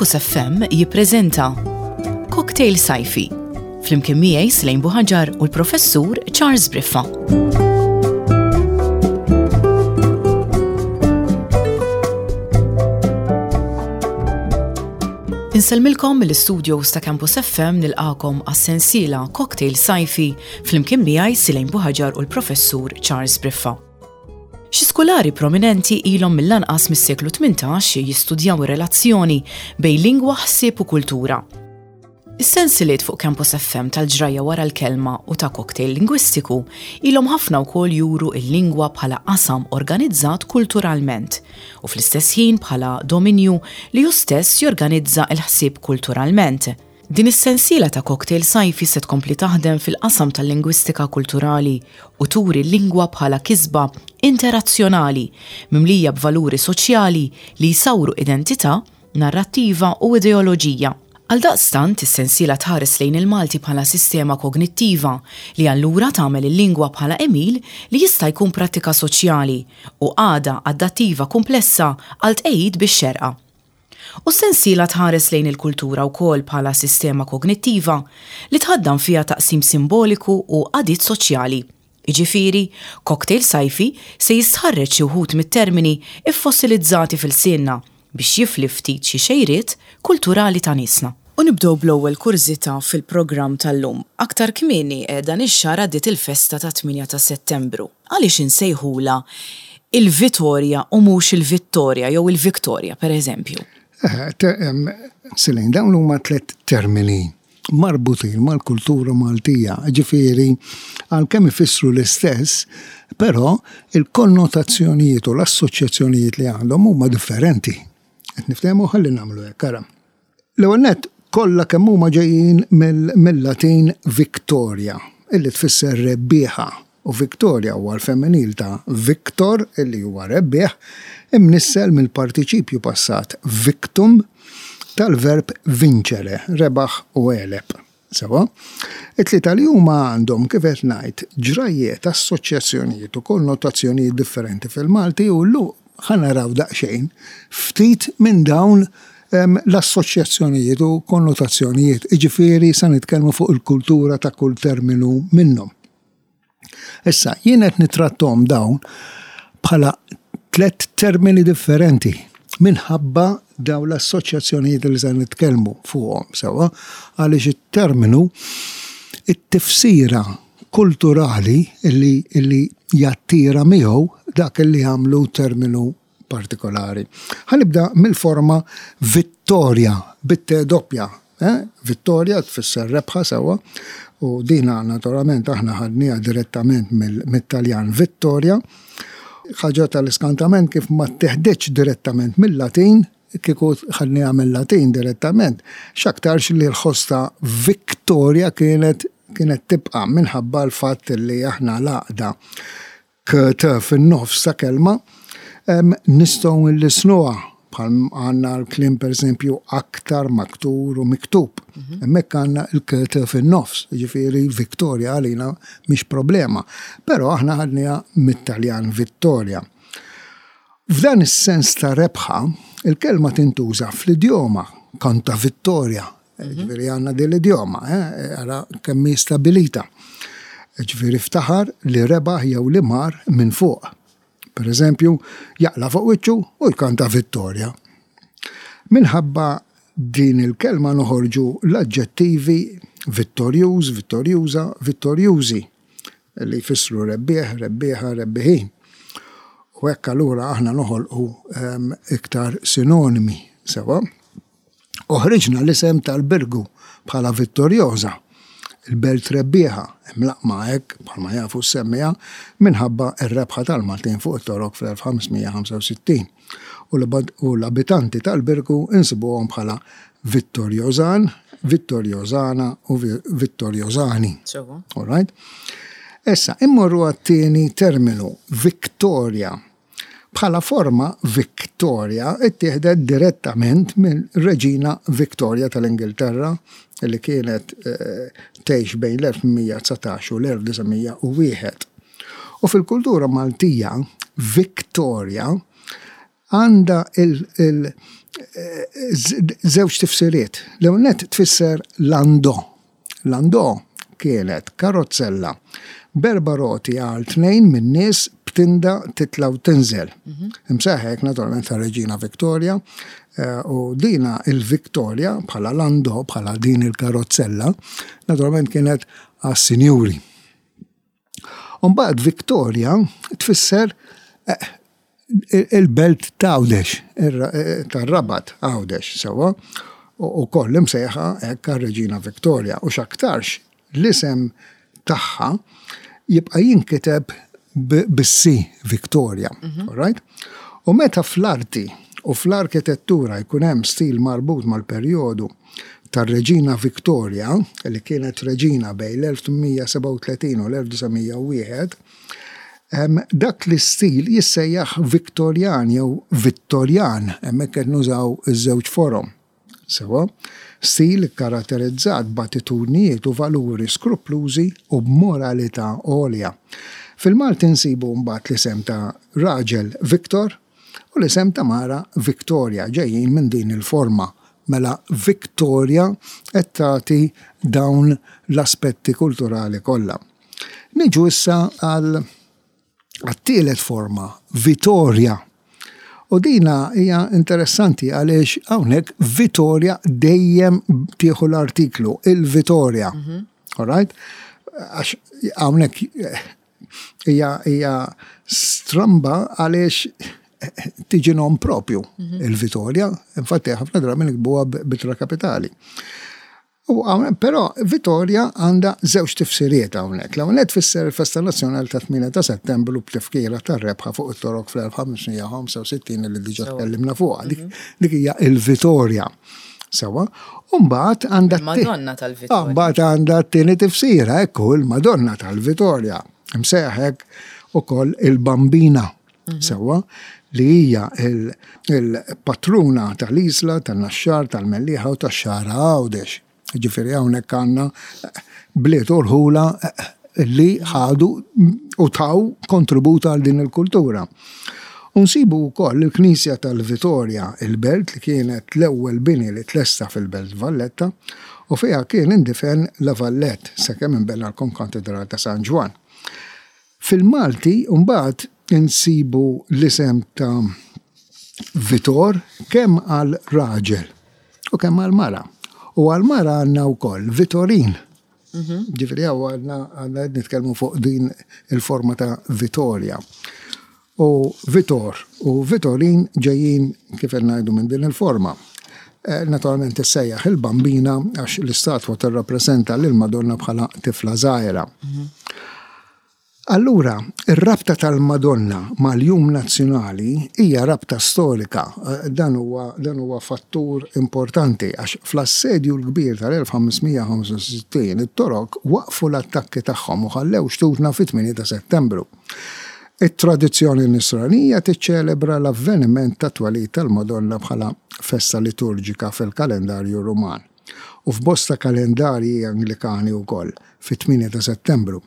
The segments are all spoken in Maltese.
Campus FM jippreżenta Cocktail Sajfi flimkien miegħi Slejn Buħaġar u l-Professur Charles Briffa. Insellmilkom mill-istudios ta' Campus FM nilqakom għas-sensiela Cocktail Sajfi flimkien miegħi Silejn Buħaġar u l-Professur Charles Briffa. Xi skulari prominenti ilhom mill-anqas mis-seklu 18 jistudjaw ir-relazzjoni bejn lingwa, ħsieb u kultura. Is-sensiliet fuq Campus FM tal-ġrajja wara l-kelma u ta' cocktail lingwistiku ilhom ħafna wkoll juru l-lingwa bħala qasam organizzat kulturalment u fl-istess ħin bħala dominju li hu stess jorganizza l-ħsieb kulturalment. Din is-sensiela ta' cocktail sajfi se tkompli taħdem fil-qasam tal-lingwistika kulturali u turi l-lingwa bħala kisba interazzjonali mimlija b'valuri soċjali li jsawru identità, narrattiva u ideoloġija. Għaldaqstant, is-sensiela tħares lejn il-Malti bħala sistema kognittiva li allura tagħmel il-lingwa bħala għemil li jista' jkun prattika soċjali u qagħda adattiva kumplessa għal tqegħid bix-xerqa. U s-sensiela tħares lejn il-kultura wkoll bħala sistema kognittiva li tħaddan fiha taqsim simboliku u qagħdiet soċjali. Jiġifieri, Cocktail Sajfi se jistħarreġ xi wħud mit-termini ffossilizzati f'ilsienna biex jifli ftit xi xejriet kulturali ta' niesna. U nibdew bl-ewwel kurżità fil-programm tal-lum. Aktar kmieni dan ix-xahar għaddiet il-festa tat-tmienja ta' Settembru. Għaliex insejħulha il-Vitorja u mhux il-Vittorja jew il-Victoria, per eżempju? Celine, dawn huma tlett termini marbutin mal-kultura Maltija, ġifieri għalkemm ifissru l-istess, però il-konnotazzjonijiet u l-assoċjazzjonijiet li għandhom huma differenti. Qed niftehmu ħalli nagħmlu hekk, ara. L-ewwel nett, kollha kemm huma ġejjin mill-Latin victoria, illi tfisser rebbieħa, u victoria huwa l-femminil ta' victor, illi huwa rebbieħ, imnissel mill-partiċipju passat victum tal-verb vincere, rebaħ u għeleb. Sewwa? It-tlieta li huma għandhom, kif qed ngħid, ġrajjiet, assoċjazzjonijiet u konnotazzjonijiet differenti fil-Malti u llum ħa naraw daqsxejn ftit minn dawn l-assoċjazzjonijiet u konnotazzjonijiet, jiġifieri se nitkellmu fuq il-kultura ta' kull terminu minnhom. Issa, jien qed nitrattom dawn bħala tlett termini differenti minħabba dawn l-assoċjazzjonijiet li se nitkellmu fuqhom sewwa għaliex it-terminu it-tifsira kulturali li, li jattira miegħu dak li jagħmlu terminu partikolari. Ħa nibda mill-forma vittoria, bit-T doppja. Eh? Vittoria tfisser rebħa sewwa u dina naturalment aħna ħadniha direttament mit-Taljan Vittoria. Ħaġa tal-iskantament kif ma teħdiċ direttament mill-Latin, kieku ħadniha mill-Latin direttament, x'aktarx li l-ħoss ta' Victoria kienet kienet tibqa' minħabba l-fatt li aħna l-għaqda KT fin-nofs ta' kelma, nistgħu nlissnuha bħal għandna l-kliem pereżempju aktar, maktur u miktub. Mhm. Hemmhekk għandna l-KT fin-nofs, jiġifieri Victoria għalina mhix problema. Però aħna ħadniha mit-Taljan Vittoria. F'dan is-sens ta' rebħa, il-kelma tintuża fl-idjoma kanta Vittoria, Ġifieri għandna din l-idjoma, eh, ara kemm hi stabilita. Ġifieri ftaħar li rebaħ jew li mar minn fuq. Per eżempju, jaqla fuq wiċċu u jkanta vittorja. Minħabba din il-kelma noħorġu l-aġġettivi vittorjuż, vittorjuża, vittorjużi li jfissru rebbieħ, rebbieħa, rebbiħin. U hekk allura aħna noħolqu ehm, iktar sinonimi sewa. U ħriġna l-isem tal-Birgu bħala Vittoriosa, il-belt rebbieħa, imlaqqma hekk, bħalma jafu s-semmiegħa, minħabba r-rebħa tal-Maltin fuq it-Torok fl-1565. U l-abitanti tal-Birgu insibuhom bħala Vittoriosan, Vittoriosana u Vittoriosani. All right? Issa, immorru għat-tieni terminu, Victoria. Bħala forma, Victoria ttieħdet direttament mir-Reġina Victoria tal-Ingilterra li kienet tgħix bejn l-1819 u l-1901. U fil-kultura Maltija, Victoria. Għandha żewġ tifsiriet. L-ewwel nett tfisser landò. Landò kienet karozzella b'erba' roti għal tnejn min-nies b'tinda titla' u tinżel. Imsejħa hekk naturalment tar-Reġina Victoria u dina il-Victoria bħala landò, bħala din il-karozzella, naturalment kienet għas-sinjuri. U mbagħad Victoria tfisser eh, il-belt ta' Għawdex, eh, tar-Rabat Għawdex, sewwa, u koll imsejħa hekk għar-Reġina Victoria u x'aktarx l-isem tagħha jibqa' jinkiteb bis-C Victoria, mhm. right? U meta fl-arti u fl-arkitettura jkun hemm stil marbut mal-perjodu tar-Reġina Victoria, li kienet reġina bejn l-1837 u l-1901, dak l-istil jissejjaħ Victorian jew Vittorjan, hemmhekk qed nużaw iż-żewġ forom. Sewwa, stil ikkaratterizzat b'attitudnijiet u valuri skruplużi u b'moralità għolja. Fil-Malti nsibu mbagħad l-isem ta' raġel Victor, U l-isem ta' mara Victoria ġejjin minn din il-forma. Mela Victoria qed tagħti dawn l-aspetti kulturali kollha. Niġu issa għal għat-tielet forma, Vitoria. U dina hija interessanti għaliex hawnhekk Vitoria dejjem tieħu l-artiklu, il-Vitoria. Mhm. All right? Għax hawnhekk Hija hija stramba għaliex tiġi nom propju mhm. il-Vitorja, infatti ħafna drabi nikbuha bitra kapitali. U però Vitorja għandha żewġ tifsiriet hawnhekk. L-ewwel tfisser il-Festa Nazzjonali ta' 8 ta' Settembru b'tifkira tar-rebħa fuq it-Torok fl-1565 li diġà tkellimna fuqha. Dik mhm. hija il-Vitorja. Sewa, u mbagħad għandha Il-Madonna tal-Vitorja. Ah, mbagħad għandha t-tieni tifsira, ekku il-Madonna tal-Vitorja. Msejjaħ hekk ukoll il-Bambina. Mhm. Sewa, li hija il-patruna tal-Isla, tan-Naxxar, tal-Mellieħa u tax-Xagħra Għawdex. Ġifieri hawnhekk għandna bliet u rħula li ħadu u taw kontribut għal din il-kultura. U nsibu wkoll il-Knisja tal-Vitorja, il-belt li kienet l-ewwel bini li tlesta fil-Belt Valletta u fiha kien indifen La Valette sakemm inbena l-Konkatedral ta' San Ġwann. Fil-Malti mbagħad insibu l-isem ta' Vitor kemm għal raġel u kemm għal mara. U għal mara għandna wkoll Vitorin. Mhm. Ġifieri hawn għandna għandna qed nitkellmu fuq din il-forma ta' Vitorja. U Vitor u Vitorin ġejjin kif qed ngħidu minn din il-forma. Eh, naturalment issejjaħ il-Bambina għax l-istatwa tirrappreżenta lil Madonna bħala tifla żgħira. Mhm. Allura, ir-rabta tal-Madonna mal-Jum Nazzjonali hija rabta storika. Dan huwa dan huwa fattur importanti għax fl-Assedju l-Kbir tal-1565 it-Torok waqqfu l-attakki tagħhom u ħallew xtutna fit-8 ta' Settembru. It-tradizzjoni Nisranija tiċċelebra l-avveniment tat-twelid tal-Madonna bħala festa liturġika fil-kalendarju Ruman. u f'bosta kalendarji Anglikani wkoll, fit-8 ta' Settembru,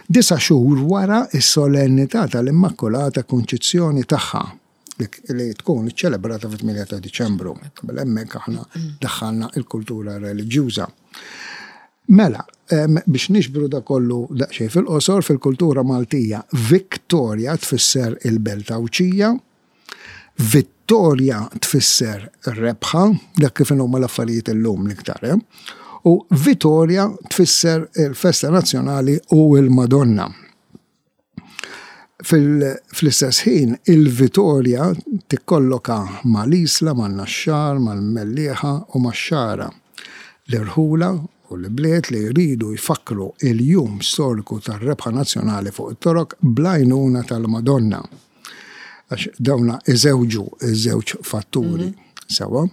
disa' xhur wara s-solennità tal-Immakulata Kunċizzjoni tagħha, li tkun iċċelebrata fit-8 ta' Diċembru. Mela hemmhekk aħna daħħalna l-kultura reliġjuża. Mela, biex niġbru da kollu daqsxejn fil-qosor, fil-kultura Maltija, Victoria tfisser il-belt Għawdxija, Vittorja tfisser rebħa, dak kif inhuma l-affarijiet illum l-iktar, eh? U Vitorja tfisser il-festa nazzjonali u l-Madonna. Fl-istess ħin, il-Vitorja tikkolloka mal-Isla, man-Naxxar, mal-Mellieħa u max-Xagħra. L-irħula u l-ibliet li jridu jfakkru il-jum storiku tar-rebħa nazzjonali fuq it-Torok bl-għajnuna tal-Madonna. Għax dawna iżewġu iż-żewġ fatturi mhm. sewa.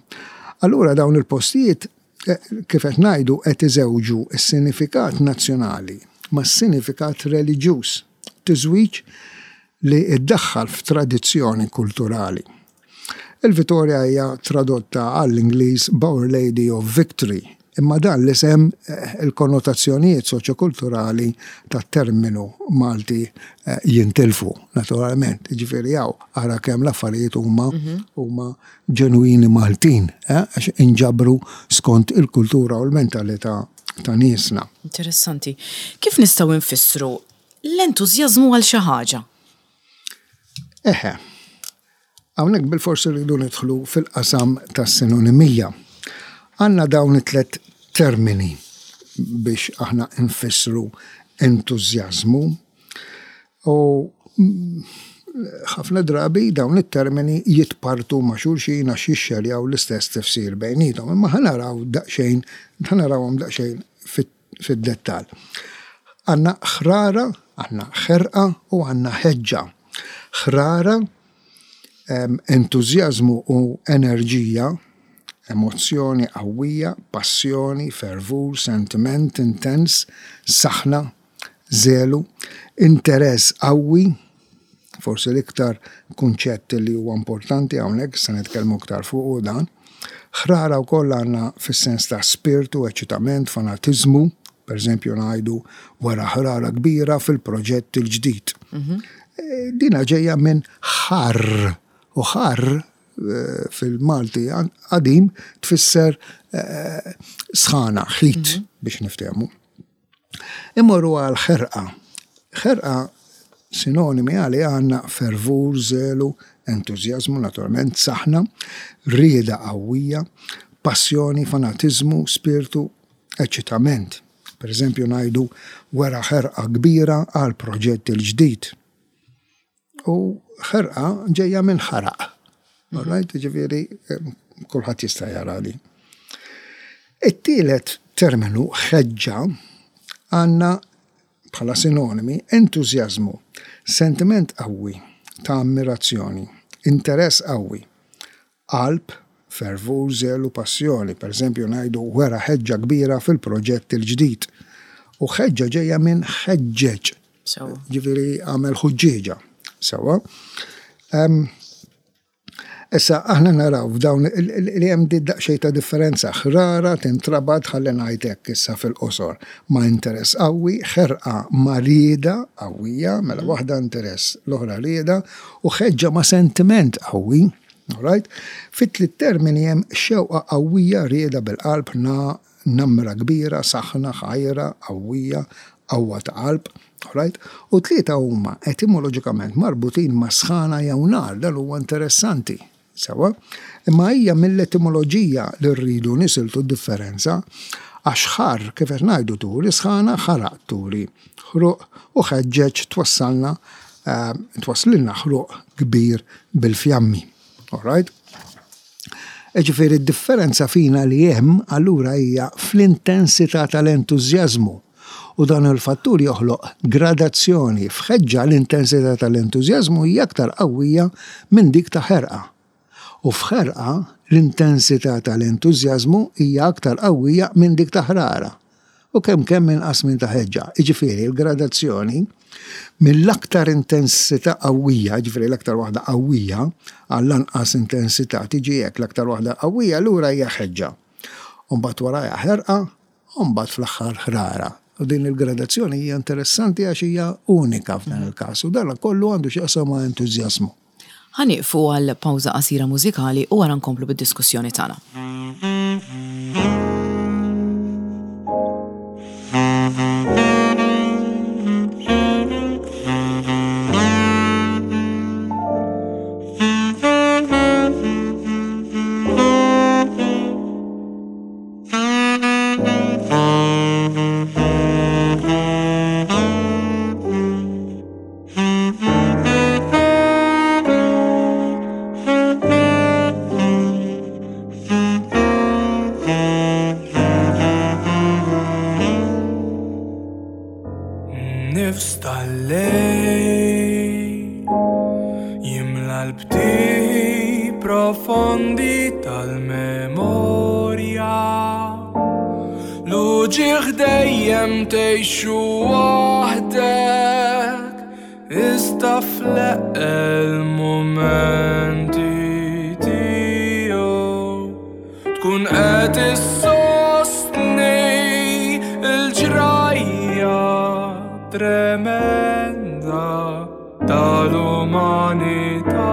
Allura dawn il-postijiet eh, kif qed ngħidu qed iżewġu s-sinifikat nazzjonali ma' sinifikat reliġjuż, tiżwiġ li iddaħħal f'tradizzjoni kulturali. Il-Vitorja hija tradotta għall-Ingliż b'Our Lady of Victory. Imma dan l-isem eh, il-konnotazzjonijiet soċjokulturali tat-terminu Malti eh, jintilfu, naturalment. Ġifieri hawn ara kemm l-affarijiet huma mhm. huma ġenwini Maltin, eh, għax inġabru skont il-kultura u l-mentalità ta' niesna. Interessanti. Kif nistgħu nfissru l-entużjażmu għal xi ħaġa? Eħe, Hawnhekk bilfors irridu nidħlu fil-qasam tas-sinonimija. Għandna dawn it-tlett termini biex aħna nfissru entużjażmu u ħafna drabi dawn it-termini jitpartu ma' xulxin għax jixxerjaw l-istess tifsir bejniethom. Imma ħa naraw daqsxejn, ħa narawhom daqsxejn fid-dettall. Għandna ħrara, għandna ħerqa u għandna ħeġġa. Ħrara, entużjażmu u enerġija, emozzjoni qawwija, passjoni, fervur, sentiment intens, saħna, żelu, interess qawwi, forsi l-iktar kunċett li huwa importanti hawnhekk, se nitkellmu iktar fuqu dan. Ħrara wkoll għandna fis-sens ta' spirtu, eċitament, fanatiżmu, pereżempju ngħidu wara ħrara kbira fil-proġett il-ġdid. Mhm. Eh, dina ġejja minn ħarr u ħarr eh, fil-Malti qadim tfisser eh, sħana, ħit mhm. biex niftehmu. Immorru għal ħerqa. Ħerqa sinonimi għaliha għandna fervur, żelu, entużjażmu, naturalment, saħna, rieda qawwija, passjoni, fanatiżmu, spirtu, eċitament. Per eżempju ngħidu wera ħerqa kbira għal proġett il-ġdid. U ħerqa ġejja minn ħaraq. All right, ġifieri kulħadd jista' jara li. It-tielet terminu ħeġġa għandna bħala sinonimi entużjażmu, sentiment qawwi ta' ammirazzjoni, interess qawwi, qalb, fervur, żelu, passjoni. Pereżempju ngħidu wera ħeġġa kbira fil-proġett il-ġdid. U ħeġġa ġejja minn ħeġġeġ. Ġifieri għamel ħuġġieġa. Sewwa. Issa aħna naraw f'dawn li hemm di daqsxejn ta' differenza. Ħrara tintrabat ħalli ngħid hekk issa fil-qosor ma' interess qawwi, ħerqa ma' rieda qawwija, mela waħda interess, l-oħra rieda, u ħeġġa ma' sentiment qawwi. Alright? Fit-tliet termini hemm xewqa qawwija, rieda bil-qalb, na, namra kbira, saħna, ħajra, qawwija, qawwa ta' qalb. Alright? U tlieta huma etimoloġikament marbutin ma' sħana jew nar, dan huwa interessanti. Sewwa? Imma hija mill-etimoloġija li rridu nisiltu d-differenza għax ħarr kif qed ngħidu turi sħana, ħaraq turi ħruq u ħeġġeġ twassalna twasslilna ħruq kbir bil-fjammi. All right? Ġifieri d-differenza fina li hemm allura hija fl-intensità tal-entużjażmu. U dan il-fattur joħloq gradazzjoni f'ħeġġa l-intensità tal-entużjażmu hija aktar qawwija minn dik ta' ħerqa. U f'ħerqa l-intensità tal-entużjażmu hija aktar qawwija minn dik ta' ħrara. U kemm kemm inqas minn ta' ħeġġa. Jiġifieri l-gradazzjoni mill-aktar intensità qawwija, jiġifieri l-aktar waħda qawwija, għall-anqas intensità tiġi hekk, l-aktar waħda qawwija lura hija ħeġġa. U mbagħad warajha ħerqa u mbagħad fl-aħħar ħrara. U din il-gradazzjoni hija interessanti għax hija unika f'dan il-każ u dan kollu għandu x'jaqsam ma' entużjażmu. Ħa nieqfu għal pawża qasira mużikali u wara nkomplu bid-diskussjoni tagħna. Nifs tal-lejl jimla l-btiħi profondi tal-memorja. L-uġigħ dejjem tgħixu waħdek Iżda fl-eqqel mumenti tiegħu tkun qed issostni. tremenda tal-umanità.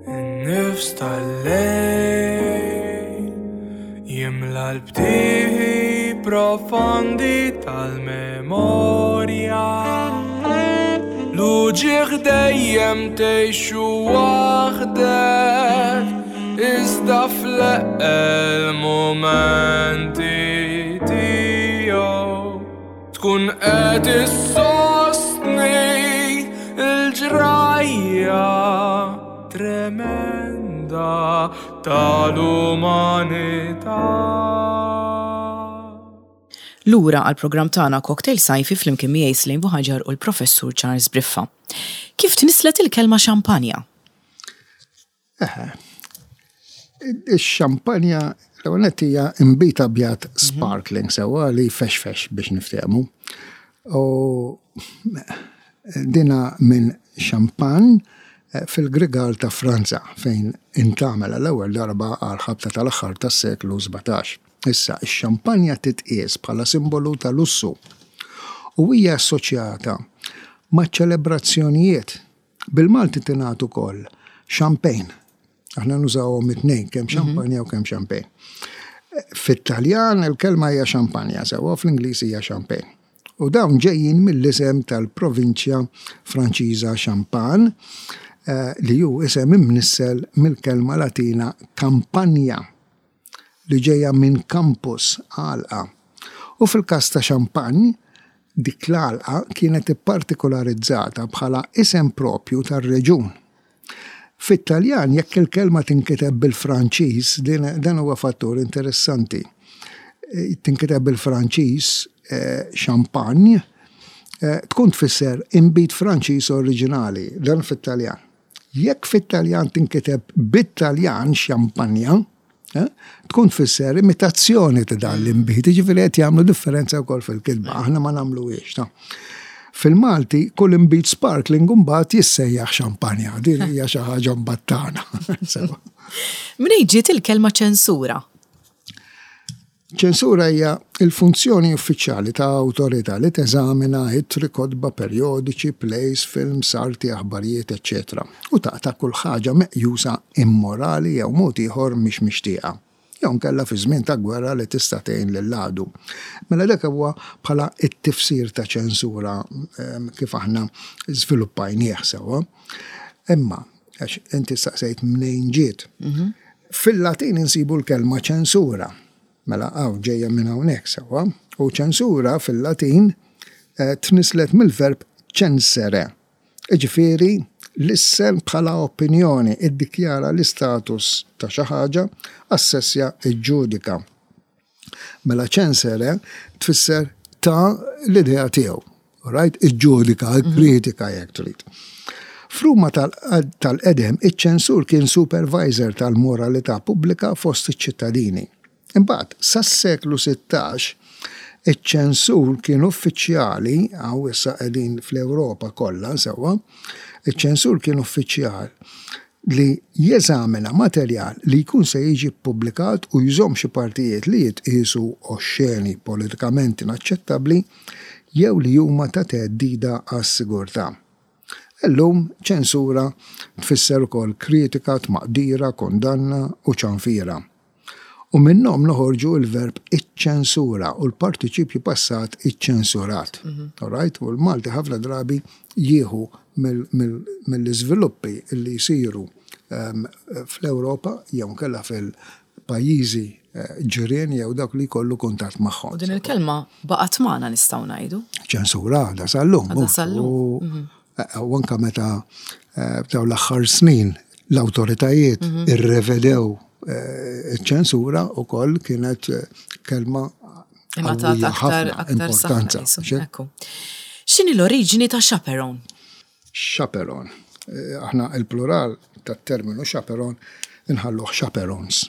In-nifs tal-lejl jimla l-btieħi profondi tal-memorja. L-uġigħ dejjem tgħixu waħdek, iżda fl-eqqel mumenti tiegħu tkun qed issostni l-ġrajja tremenda tal-umanità. Lura għall-programm tagħna Cocktail Sajfi flimkien miegħi Slane Buhaġar u l-Professur Charles Briffa. Kif tnisslet il-kelma xampanja? Eħe. Ix-xampanja l-ewwel nett hija inbid abjad sparkling sewwa li jfexfex biex niftehmu. U dina minn xampan fil-Grigal ta' Franza fejn intgħamel għall-ewwel darba għall-ħabta tal-aħħar tas-seklu 17. Issa, ix-xampanja titqies bħala simbolu ta' lussu u hija assoċjata ma' ċelebrazzjonijiet. Bil-Malti tingħad ukoll champagne. Aħna nużawhom it-tnejn, kemm xampanja u kemm champagne. Fit-Taljan il-kelma hija xampanja sewwa, fl-Ingliż hija champagne. U dawn ġejjin mill-isem tal-provinċja Franċiża Champagne, li hu isem imnissel mill-kelma Latina campagna, li ġejja minn campus, għalqa. U fil-każ ta' Champagne, dik l-għalqa kienet ippartikularizzata bħala isem proprju tar-reġjun. Fit-Taljan jekk il-kelma tinkiteb bil-Franċiż, dan huwa fattur interessanti, tinkiteb bil-Franċiż champagne, tkun tfisser inbid Franċiż oriġinali, dan fit-Taljan. Jekk fit-Taljan tinkiteb bit-Taljan xampanja, tkun tfisser imitazzjoni ta' dan l-inbid, jiġifieri qed jagħmlu differenza wkoll fil-kitba, aħna ma nagħmluhiex. Ta. Fil-Malti kull inbid sparkling imbagħad jissejjaħ xampanja, din hija xi ħaġa mbagħad tagħna. Mnejn ġiet il-kelma ċensura? Ċensura hija l-funzjoni uffiċjali ta' awtorità li teżamina ittri, kotba, perjodiċi, plays, films, arti, aħbarijiet, eċċetera u taqta' kull ħaġa meqjusa immorali jew mod ieħor mhix mixtieqa, jew inkella fi żmien ta' gwerra li tista' tgħin lill-għadu. Mela dak huwa bħala t-tifsir ta' ċensura kif aħna żviluppajnieh sewwa. Imma, għax inti staqsejt mnejn ġiet. Fil-Latin insibu l-kelma ċensura. Mela hawn ġejja minn hawnhekk sewwa. U ċensura fil-Latin tnisslet mill-verb censere. Jiġifieri lissen bħala opinjoni, iddikjara l-istatus ta' xi ħaġa, assessja, iġġudika. Mela censere tfisser ta l-idea tiegħu. Right? Iġġudika, ikkritika jekk trid. F'Ruma tal-qedem, iċ-ċensur kien supervisor tal-moralità pubblika fost iċ-ċittadini. Imbagħad, sas-seklu 16, iċ-ċensur kien uffiċjali, hawn issa qegħdin fl-Ewropa kollha sewwa, iċ-ċensur kien uffiċjal li jeżamina materjal li jkun se jiġi ppubblikat u jżomm xi partijiet li jitqiesu oxxeni, politikament inaċċettabbli jew li huma ta' theddida għas-sigurtà. Illum ċensura tfisser ukoll kritika, tmaqdira, kundanna u ċanfira. U minnhom noħorġu l-verb iċċensura u l-partiċipju passat iċċensurat. All right? U l-Malti ħafna drabi jieħu mill-iżviluppi li jsiru fl-Ewropa jew inkella fil-pajjiżi ġirien jew dawk li jkollu kuntatt magħhom. U din il-kelma baqgħet magħna nistgħu ngħidu. Ċensura għadha sal-lum. Għadha sal-lum. U anka meta f'dawn l-aħħar snin l-awtoritajiet irrevedew iċ-ċensura wkoll kienet kelma qawwija ħafna, importanza. X'inhi l-oriġini ta' chaperone? Chaperone. Aħna il-plural tat-terminu chaperone inħalluh chaperones.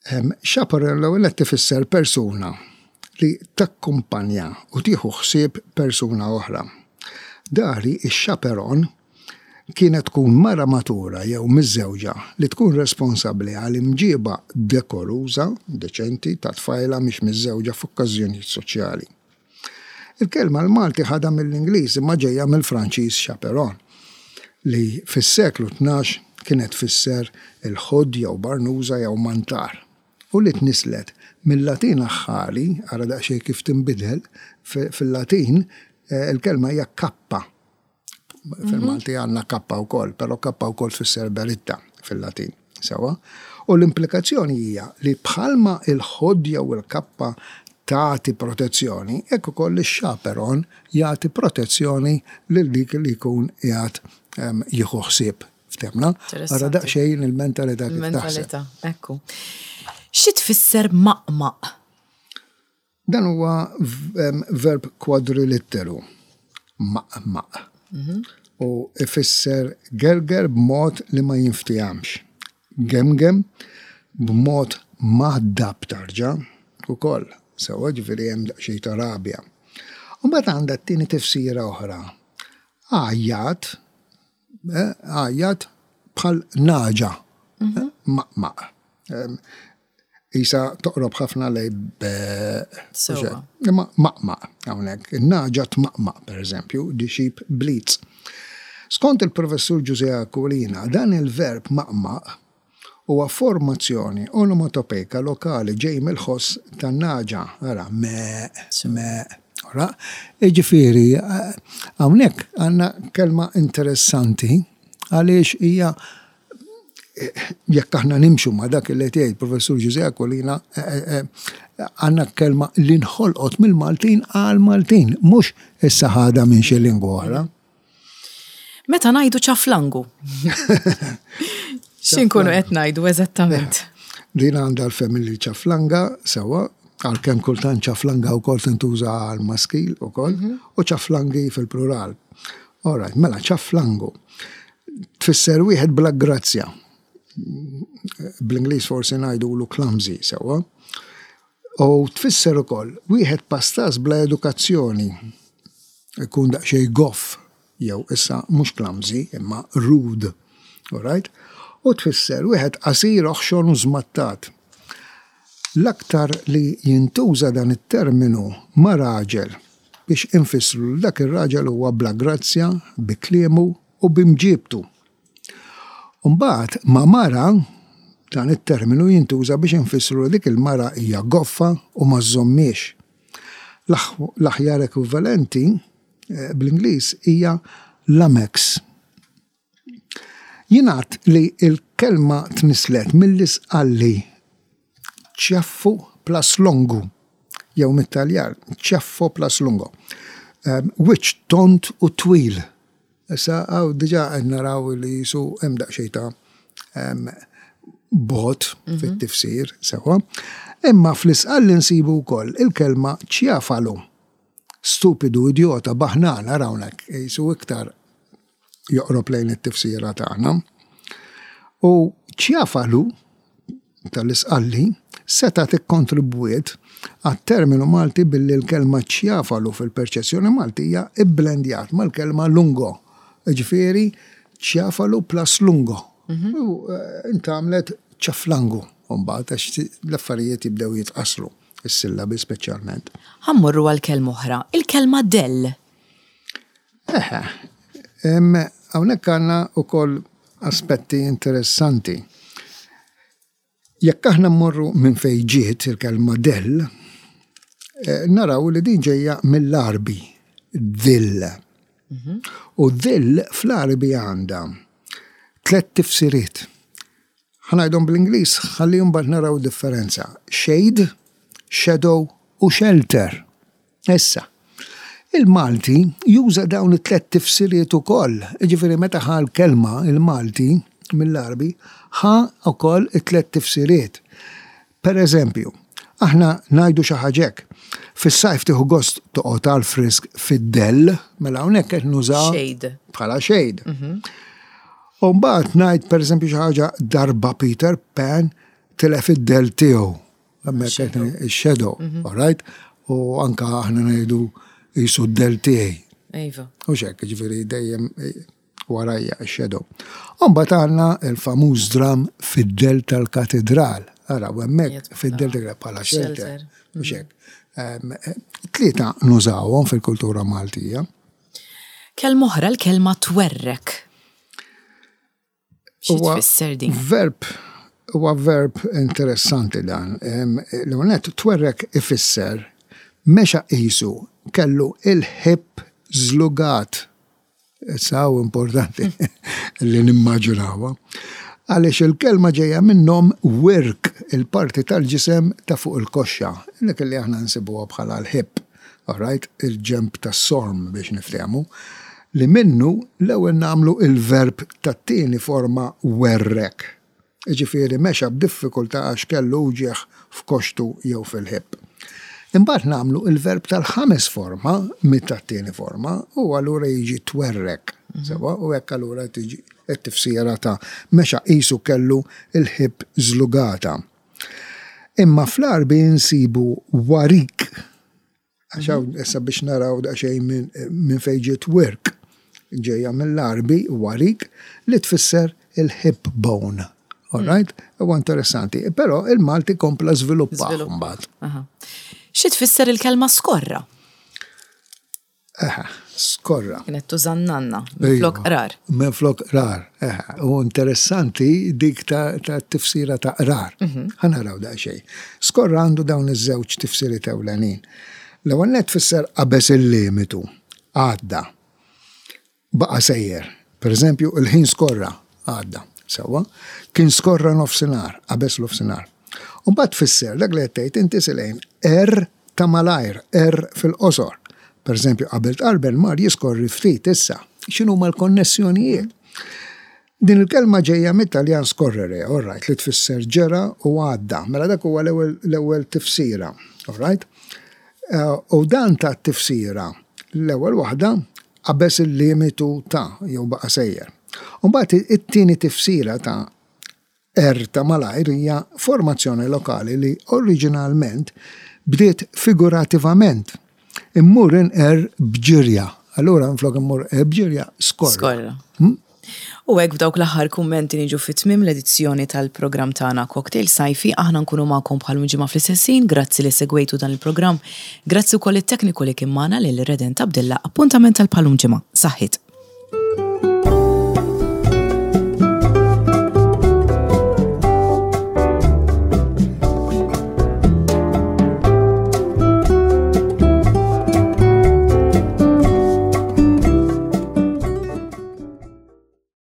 Chaperone l-ewwel nett ifisser persuna li takkumpanja u tieħu ħsieb persuna oħra. Dari x-chaperone kienet tkun mara matura jew miżżewġa li tkun responsabbli għal imġieba dekoruża, deċenti, ta' tfajla mhix miżżewġa f'okkażjonijiet soċjali. Il-kelma l-Malti ħadha mill-Ingliż imma ġejja mill-Franċiż chaperon, li fis-seklu 12 kienet tfisser il-ħudd jew barnuża jew mantar, u li tnisslet mil-Latin aħħari, ara daqsxejn kif tinbidel, fil-Latin il-kelma hija cappa. Fil-Malti għandna kappa wkoll, però kappa wkoll tfisser beritta fil-Latin. Sewa? U l-implikazzjoni hija li bħalma il-ħodd jew il-kappa tagħti protezzjoni, hekk ukoll ix-chaperon jagħti protezzjoni lil dik li jkun qiegħed ehm, jieħu ħsieb. Ftemna? Ara daqsxejn il-mentalità kif taħseb. Ekku. Xi tfisser maqmaq? Dan huwa verb kwadrilitteru, maqmaq, u ifisser gerger b'mod li ma jinftiehamx, gemgem b'mod mgħaddab tarġa' ukoll, sewwa ġifieri hemm daqsxejn ta' rabja. U mbagħad għandha t-tieni tifsira oħra, għajjat, għajjat bħal nagħġa, maqmaq. Isa toqrob ħafna lej be. Sewwa. Imma maqmaq hawnhekk. In-nagħġa tmaqmaq, pereżempju, the sheep bleats. Skont il-Professur Ġużè Aquilina, dan il-verb maqmaq huwa formazzjoni onomatopejka lokali ġej mill-ħoss tan-nagħġa, ara, meeq, meeq. Ora, jiġifieri hawnhekk għandna kelma interessanti għaliex hija jekk aħna nimxu ma' dak li qed jgħid Professur Ġużè Aquilina, għandna kelma li nħolqot mill-Maltin għall-Maltin, mhux issa ħadha minn xi lingwa oħra. Meta ngħidu ċaflangu. X'inkunu qed ngħidu eżattament? Din għandha l-family ċaflanga sewwa, għalkemm kultant ċaflanga wkoll tintuża għal maskil ukoll, u ċaflangi fil-plural. All right, mela ċaflangu. Tfisser wieħed bla grazzja. Bl-Ingliż forsi ngħidulu clumsy sewwa. U tfisser ukoll wieħed pastas bla edukazzjoni. Ikun daqsxejn goff jew issa mhux clumsy imma rude. All right? U tfisser wieħed qasir, oħxon u żmattat. L-aktar li jintuża dan it-terminu ma' raġel biex infissru li dak ir-raġel huwa bla grazzja bi kliemu u bi mġiebtu. U mbagħad ma' mara, dan it-terminu jintuża biex infissru li dik il-mara hija goffa u ma żżommhiex. L-aħjar ekwivalenti bl-Ingliż hija lamex. Jingħad li l-kelma tnisslet mill-Isqalli ciaffu plus longu jew mit-Taljan ciaffo plus lungo, wiċċ tond u twil. Issa hawn diġà qed naraw li qisu hemm daqsxejn ta' bogħod fit-tifsir sewwa. Imma fl-Isqalli nsibu wkoll il-kelma ciafalu, stupidu, idjota, baħnan, ara hawnhekk qisu iktar joqrob lejn it-tifsira tagħna. U ċjafalu tal-Isqalli setgħet ikkontribwiet għat-terminu Malti billi l-kelma ċjafalu fil-perċezzjoni Maltija ibblendjat mal-kelma lungo, jiġifieri ċjafalu plus lungo. Mhm. U eh, intgħamlet ċaflangu mbagħad għax l-affarijiet jibdew jitqassru, is-sillabi speċjalment. Ħa mmorru għal kelma oħra, il-kelma dell. Eħe. Hawnhekk għandna wkoll aspetti interessanti. Jekk aħna mmorru minn fejn ġiet il-kelma dell, eh, naraw li din ġejja mill-Għarbi, dhill. U dhill fl-Għarbi għandha tlett tifsiriet. Ħa ngħidhom bl-Ingliż ħalli mbagħad naraw differenza. Shade, shadow u shelter. Issa, il-Malti juża dawn it-tlett tifsiriet ukoll. Jiġifieri meta ħa l-kelma il-Malti mill-Għarbi, ħa wkoll it-tlett tifsiriet. Per eżempju, aħna ngħidu xi ħaġa hekk, fis-sajf tieħu gost toqgħod għall-frisk fid-dell, mela hawnhekk qed nuża Shade. bħala shade. U mbagħad ngħid pereżempju xi ħaġa darba Peter Pan tilef id-dell tiegħu. Hemmhekk qed ix-shadow, all right? U anka aħna ngħidu qisu d-dell tiegħi. Iva. U xek, ġifieri dejjem warajja x-shadow. U mbagħad għandna il-famuż dram fid-dell tal-katedral. Ara, u hemmhekk fid-dell tal bħala shelter. Shelter. U xek. Tlieta nużawhom fil-kultura Maltija. Kelma oħra l-kelma twerrek. Xi Huwa tfisser din? Verb, huwa verb interessanti dan. L-ewwel twerrek ifisser mexa qisu kellu il-ħib żlugat. Issa hawn importanti li nimmaġinawha. Għaliex il-kelma ġejja minnhom wirk, il-parti tal-ġisem ta' fuq il-koxxa, dik li aħna nsibuha bħala l-ħib, all right, il-ġemb tas-sorm biex niftehmu, li minnu l-ewwel nagħmlu il-verb tat-tieni forma werrek. Jiġifieri mexa b'diffikultà għax kellu uġigħ f'koxtu jew fil-ħib. Imbagħad nagħmlu il-verb tal-ħames forma mit-tieni forma u allura jiġi twerrek. Sewa, u hekk allura tiġi t-tifsira ta' mexa qisu kellu il-ħib żlugata. Imma fl-Għarbi nsibu warik. Għax hawn issa biex naraw daqsxejn minn fejn ġiet wirk. Ġejja mill-Għarbi warik li tfisser il-hip bone. All right? Huwa interessanti. Però il-Malti kompla żviluppa mbagħad. Xi tfisser il-kelma skorra? Eħe, skorra. Kienet tuża n-nanna, minflok qrar. Minflok qrar, eħe. U interessanti dik ta' tifsira ta' qrar. Ħa naraw daqsxejn. Skorra għandu dawn iż-żewġ tifsiriet ewlenin. L-ewwel nett tfisser qabeż il-limitu, għadda. Baqa' sejjer. Per eżempju, il-ħin skorra, għadda. Sewwa? Kien skorra nofsinhar, qabeż nofsinhar. U mbagħad tfisser dak li qed tgħid inti Silejn, qerr ta' malajr, qerr fil-qosor. Per eżempju, qabel tqarbel mar jiskorri ftit issa. X'inhuma l-konnessjonijiet? Din il-kelma ġejja mit-Taljan scorrere, all right, li tfisser ġera u għadda. Mela dak huwa l-ewwel tifsira, all right? U dan ta' tifsira l-ewwel waħda qabeż il-limitu ta' jew baqa' sejjer. U mbagħad it-tieni tifsira ta' R ta' malajr hija formazzjoni lokali li oriġinalment bdiet figurativament. Immur inqerr b'ġirja. Allura minflok immur inqerr b'ġirja, skorra. Skorra. U hekk b'dawk l-aħħar kummenti niġu fi tmiem l-edizzjoni tal-programm tagħna Cocktail Sajfi. Aħna nkunu magħkom bħal ġimgħa fl-istess ħin. Grazzi li segwejtu dan il-programm. Grazzi wkoll it-tekniku li kien magħna lil Redent Abdilla. Appuntament tal-bħalum ġimgħa. Saħħit.